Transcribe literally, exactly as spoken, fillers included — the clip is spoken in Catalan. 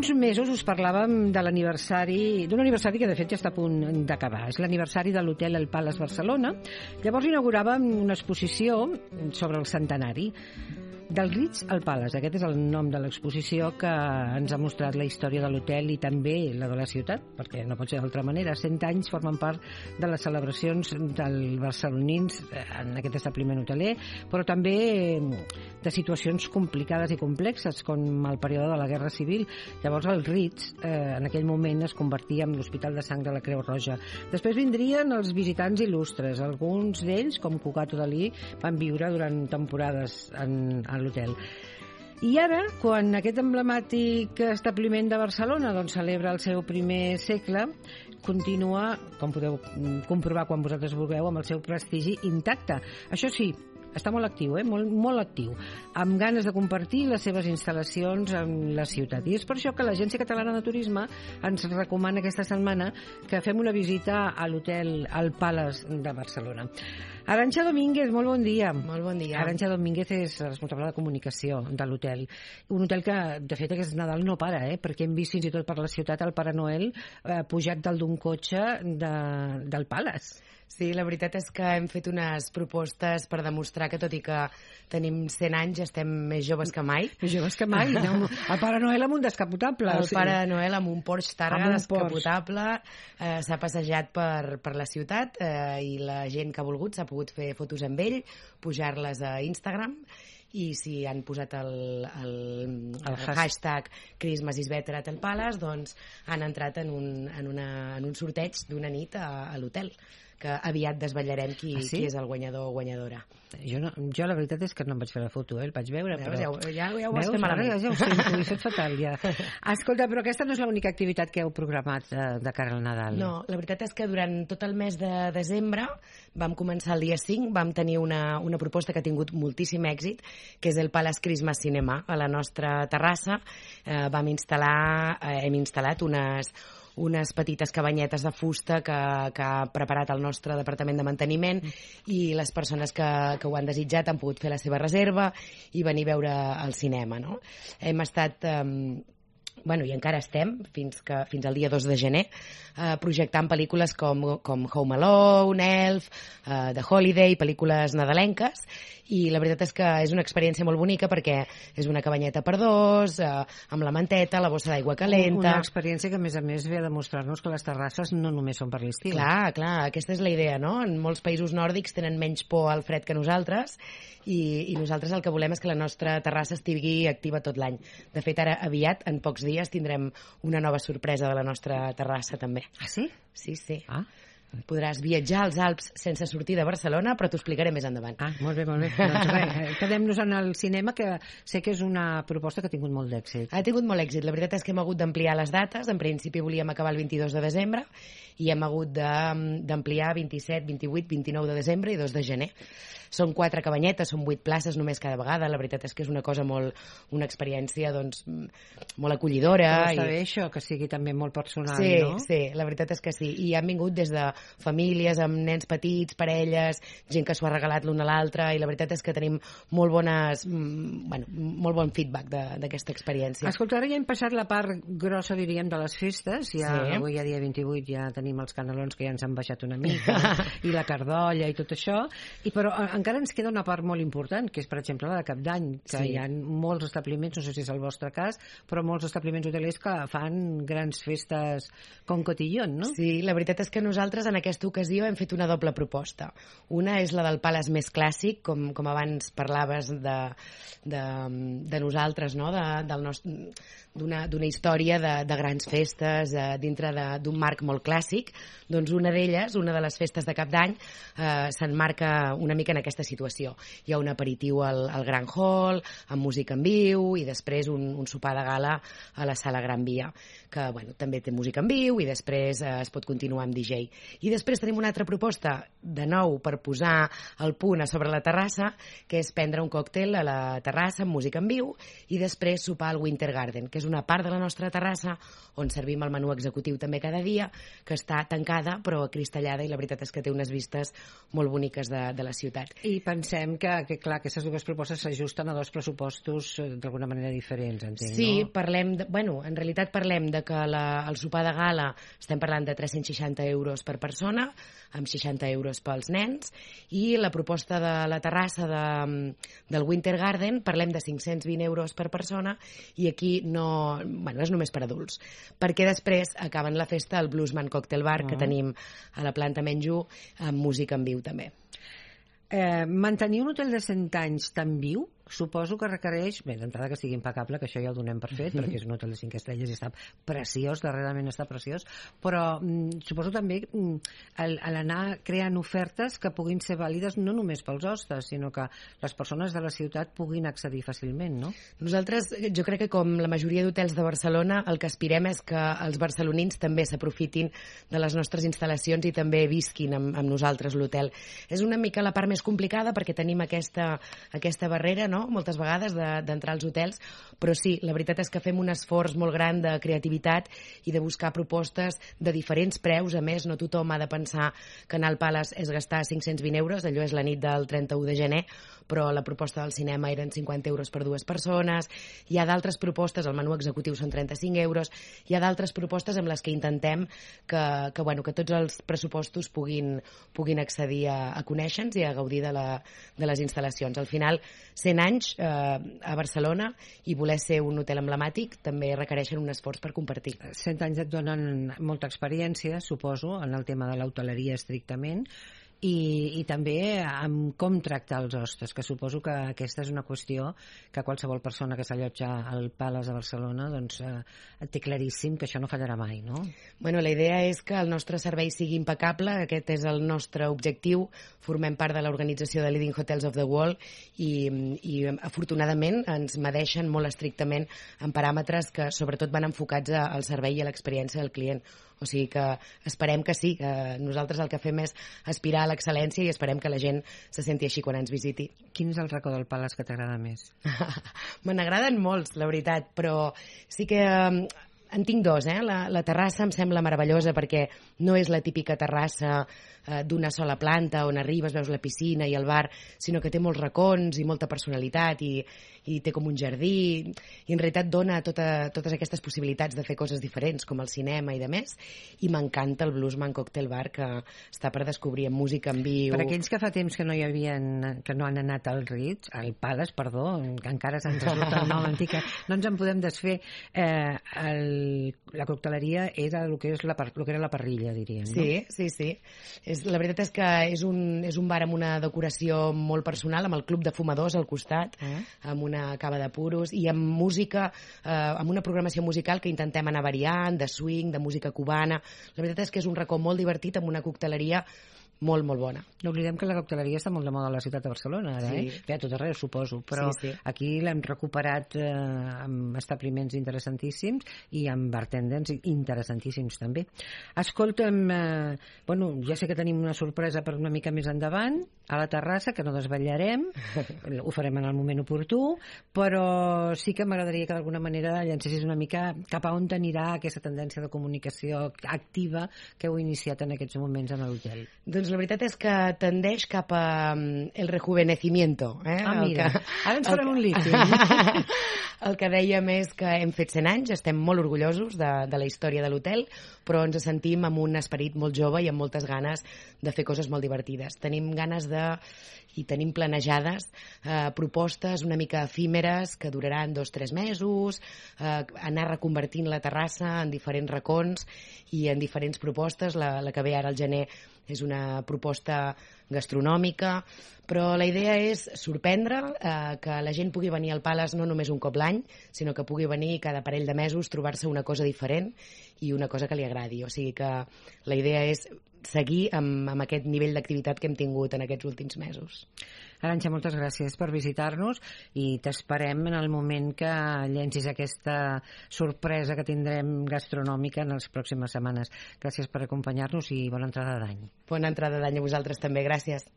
uns mesos us parlàvem de l'aniversari, d'un aniversari que de fet ja està a punt d'acabar. És l'aniversari de l'hotel El Palace Barcelona. Llavors inauguràvem una exposició sobre el centenari. Del Ritz al Palace, aquest és el nom de l'exposició que ens ha mostrat la història de l'hotel i també la de la ciutat, perquè no pot ser d'altra manera. Cent anys formen part de les celebracions dels barcelonins en aquest establiment hoteler, però també de situacions complicades i complexes, com el període de la Guerra Civil. Llavors el Ritz, eh, en aquell moment, es convertia en l'Hospital de Sang de la Creu Roja. Després vindrien els visitants il·lustres. Alguns d'ells, com Cucato Dalí, van viure durant temporades en a l'hotel. I ara, quan aquest emblemàtic establiment de Barcelona doncs, celebra el seu primer segle, continua, com podeu comprovar quan vosaltres vulgueu, amb el seu prestigi intacte. Això sí, està molt actiu, eh? molt, molt actiu, amb ganes de compartir les seves instal·lacions en la ciutat. I és per això que l'Agència Catalana de Turisme ens recomana aquesta setmana que fem una visita a l'hotel El Palace de Barcelona. Arantxa Domínguez, molt bon dia. Molt bon dia. Arantxa Domínguez és responsable de comunicació de l'hotel. Un hotel que, de fet, aquest Nadal no para, eh? perquè hem vist fins i tot per la ciutat el Pare Noel eh, pujat dalt d'un cotxe de, del Palace. Sí, la veritat és que hem fet unes propostes per demostrar que, tot i que tenim cent anys, estem més joves que mai. Més joves que mai. No? El Pare Noel amb un descapotable. El o sigui... Pare Noel amb un Porsche Targa un descapotable eh, s'ha passejat per, per la ciutat eh, i la gent que ha volgut s'ha pogut fer fotos amb ell, pujar-les a Instagram, i si han posat el, el, el, el hashtag Christmas is better at el Palace, doncs han entrat en un, en una, en un sorteig d'una nit a, a l'hotel, que aviat desvetllarem qui, ah, sí? qui és el guanyador o guanyadora. Jo, no, jo la veritat és que no em vaig fer la foto, eh? El vaig veure, Veus, però... Ja, ja, ja ho vas Veus, fer malament. Ja, ja ho sento, ho he fet fatal, ja. Escolta, però aquesta no és l'única activitat que heu programat de, de cara al Nadal. No, la veritat és que durant tot el mes de desembre vam començar el dia cinc, vam tenir una, una proposta que ha tingut moltíssim èxit, que és el Palace Christmas Cinema. A la nostra terrassa eh, vam instal·lar, eh, hem instal·lat unes unes petites cabanyetes de fusta que, que ha preparat el nostre departament de manteniment, i les persones que, que ho han desitjat han pogut fer la seva reserva i venir a veure el cinema, no? Hem estat... Eh, bueno, i encara estem, fins, que, fins al dia dos de gener, eh, projectant pel·lícules com, com Home Alone, Elf, eh, The Holiday, pel·lícules nadalenques, i la veritat és que és una experiència molt bonica perquè és una cabanyeta per dos, eh, amb la manteta, la bossa d'aigua calenta... Una experiència que, a més a més, ve a demostrar-nos que les terrasses no només són per l'estiu. Clar, clar, aquesta és la idea, no? En molts països nòrdics tenen menys por al fred que nosaltres, i, i nosaltres el que volem és que la nostra terrassa estigui activa tot l'any. De fet, ara aviat, en pocs dies, tindrem una nova sorpresa de la nostra terrassa també. Ah, sí? Sí, sí. Ah. Podràs viatjar als Alps sense sortir de Barcelona, però t'ho explicaré més endavant. Ah, molt bé, molt bé. Doncs res, quedem-nos en el cinema, que sé que és una proposta que ha tingut molt d'èxit. Ha tingut molt èxit. La veritat és que hem hagut d'ampliar les dates. En principi volíem acabar el vint-i-dos de desembre i hem hagut d'ampliar vint-i-set, vint-i-vuit, vint-i-nou de desembre i dos de gener. Són quatre cabanyetes, són vuit places només cada vegada. La veritat és que és una cosa molt... una experiència, doncs, molt acollidora. Però està i... bé això, que sigui també molt personal, sí, no? Sí, la veritat és que sí. I han vingut des de famílies, amb nens petits, parelles, gent que s'ho ha regalat l'un a l'altre, i la veritat és que tenim molt bones... bueno, molt bon feedback d'aquesta experiència. Escolta, ara ja hem passat la part grossa, diríem, de les festes. Ja, sí. Avui, a dia vint-i-vuit, ja tenim els canelons que ja ens han baixat una mica, i la cardolla i tot això. I però encara ens queda una part molt important, que és, per exemple, la de Cap d'Any, que sí. Hi ha molts establiments, no sé si és el vostre cas, però molts establiments hotelers que fan grans festes com cotillón, no? Sí, la veritat és que nosaltres en aquesta ocasió hem fet una doble proposta. Una és la del Palace més clàssic, com, com abans parlaves de, de, de nosaltres, no? de, del nostre... d'una història de, de grans festes eh, dintre d'un marc molt clàssic. Doncs una d'elles, una de les festes de Cap d'Any, eh, s'emmarca una mica en aquesta situació. Hi ha un aperitiu al, al Gran Hall, amb música en viu, i després un, un sopar de gala a la Sala Gran Via, que bueno, també té música en viu, i després eh, es pot continuar amb D J. I després tenim una altra proposta, de nou, per posar el punt a sobre la terrassa, que és prendre un còctel a la terrassa amb música en viu, i després sopar al Winter Garden, que és una part de la nostra terrassa on servim el menú executiu també cada dia, que està tancada però acristallada, i la veritat és que té unes vistes molt boniques de, de la ciutat. I pensem que, que clar, aquestes dues propostes s'ajusten a dos pressupostos d'alguna manera diferents, entenc, sí, no? Sí, parlem, de, bueno, en realitat parlem de que la, el sopar de gala estem parlant de tres-cents seixanta euros per persona, amb seixanta euros pels nens, i la proposta de la terrassa de, del Winter Garden parlem de cinc-cents vint euros per persona, i aquí no, bueno, és només per adults, perquè després acaben la festa al Bluesman Cocktail Bar, uh-huh. que tenim a la planta Menjú, amb música en viu també. Eh, mantenir un hotel de cent anys tan viu, suposo que requereix, bé, d'entrada que sigui impecable, que això ja ho donem per fet, perquè és un hotel de cinc estrelles i està preciós, darrerament està preciós, però mm, suposo també mm, l'anar creant ofertes que puguin ser vàlides no només pels hostes, sinó que les persones de la ciutat puguin accedir fàcilment, no? Nosaltres, jo crec que com la majoria d'hotels de Barcelona, el que aspirem és que els barcelonins també s'aprofitin de les nostres instal·lacions i també visquin amb, amb nosaltres l'hotel. És una mica la part més complicada perquè tenim aquesta, aquesta barrera, no? Moltes vegades d'entrar als hotels, però sí, la veritat és que fem un esforç molt gran de creativitat i de buscar propostes de diferents preus. A més, no tothom ha de pensar que anar al Palace és gastar cinc-cents vint euros, allò és la nit del trenta-u de gener, però la proposta del cinema eren cinquanta euros per dues persones. Hi ha d'altres propostes, el menú executiu són trenta-cinc euros, hi ha d'altres propostes amb les que intentem que, que, bueno, que tots els pressupostos puguin, puguin accedir a, a conèixer-nos i a gaudir de, la, de les instal·lacions. Al final, cent anys eh, a Barcelona i voler ser un hotel emblemàtic també requereixen un esforç per compartir. cent anys et donen molta experiència, suposo, en el tema de l'hoteleria estrictament, i, i també amb com tractar els hostes, que suposo que aquesta és una qüestió que qualsevol persona que s'allotja al Palace de Barcelona doncs, eh, té claríssim que això no fallarà mai, no? Bueno, la idea és que el nostre servei sigui impecable, aquest és el nostre objectiu. Formem part de l'organització de Leading Hotels of the World i, i afortunadament ens medeixen molt estrictament en paràmetres que sobretot van enfocats al servei i a l'experiència del client. O sigui que esperem que sí, que nosaltres el que fem és aspirar a l'excel·lència i esperem que la gent se senti així quan ens visiti. Quin és el racó del Palace que t'agrada més? Me n'agraden molts, la veritat, però sí que en tinc dos, eh? La, la terrassa em sembla meravellosa perquè no és la típica terrassa eh, d'una sola planta on arribes, veus la piscina i el bar, sinó que té molts racons i molta personalitat i, i té com un jardí i en realitat dona tota, totes aquestes possibilitats de fer coses diferents com el cinema i de més, i m'encanta el Bluesman Cocktail Bar que està per descobrir amb música en viu. Per aquells que fa temps que no hi havien, que no han anat al Ritz, al Palace, perdó, que encara se'ns surt el nom antic, no ens en podem desfer, eh, el la cocteleria era el que, és la, el que era la parrilla, diríem, no? Sí, sí, sí. És, la veritat és que és un, és un bar amb una decoració molt personal, amb el club de fumadors al costat, eh? amb una cava de puros i amb música, eh, amb una programació musical que intentem anar variant, de swing, de música cubana. La veritat és que és un racó molt divertit amb una cocteleria molt, molt bona. No oblidem que la cocteleria està molt de moda a la ciutat de Barcelona, ara, sí. eh? Bé, a tot arreu, suposo, però sí, sí. Aquí l'hem recuperat eh, amb establiments interessantíssims i amb bartenders interessantíssims, també. Escolta'm, eh, bueno, ja sé que tenim una sorpresa per una mica més endavant, a la terrassa, que no desvetllarem, ho farem en el moment oportú, però sí que m'agradaria que d'alguna manera llancessis una mica cap a on anirà aquesta tendència de comunicació activa que heu iniciat en aquests moments en l'hotel. Doncs la veritat és que tendeix cap a um, el rejuvenecimiento. Eh? Ah, mira, que, ara ens farem un líquid. El que dèiem és que hem fet cent anys, estem molt orgullosos de, de la història de l'hotel, però ens sentim amb un esperit molt jove i amb moltes ganes de fer coses molt divertides. Tenim ganes de, i tenim planejades eh, propostes una mica efímeres que duraran dos o tres mesos, eh, anar reconvertint la terrassa en diferents racons i en diferents propostes. La, la que ve ara al gener és una proposta gastronòmica, però la idea és sorprendre, eh, que la gent pugui venir al Palace no només un cop l'any, sinó que pugui venir cada parell de mesos, trobar-se una cosa diferent i una cosa que li agradi. O sigui que la idea és seguir amb, amb aquest nivell d'activitat que hem tingut en aquests últims mesos. Arantxa, moltes gràcies per visitar-nos i t'esperem en el moment que llencis aquesta sorpresa que tindrem gastronòmica en les pròximes setmanes. Gràcies per acompanyar-nos i bona entrada d'any. Bona entrada d'any a vosaltres també, gràcies.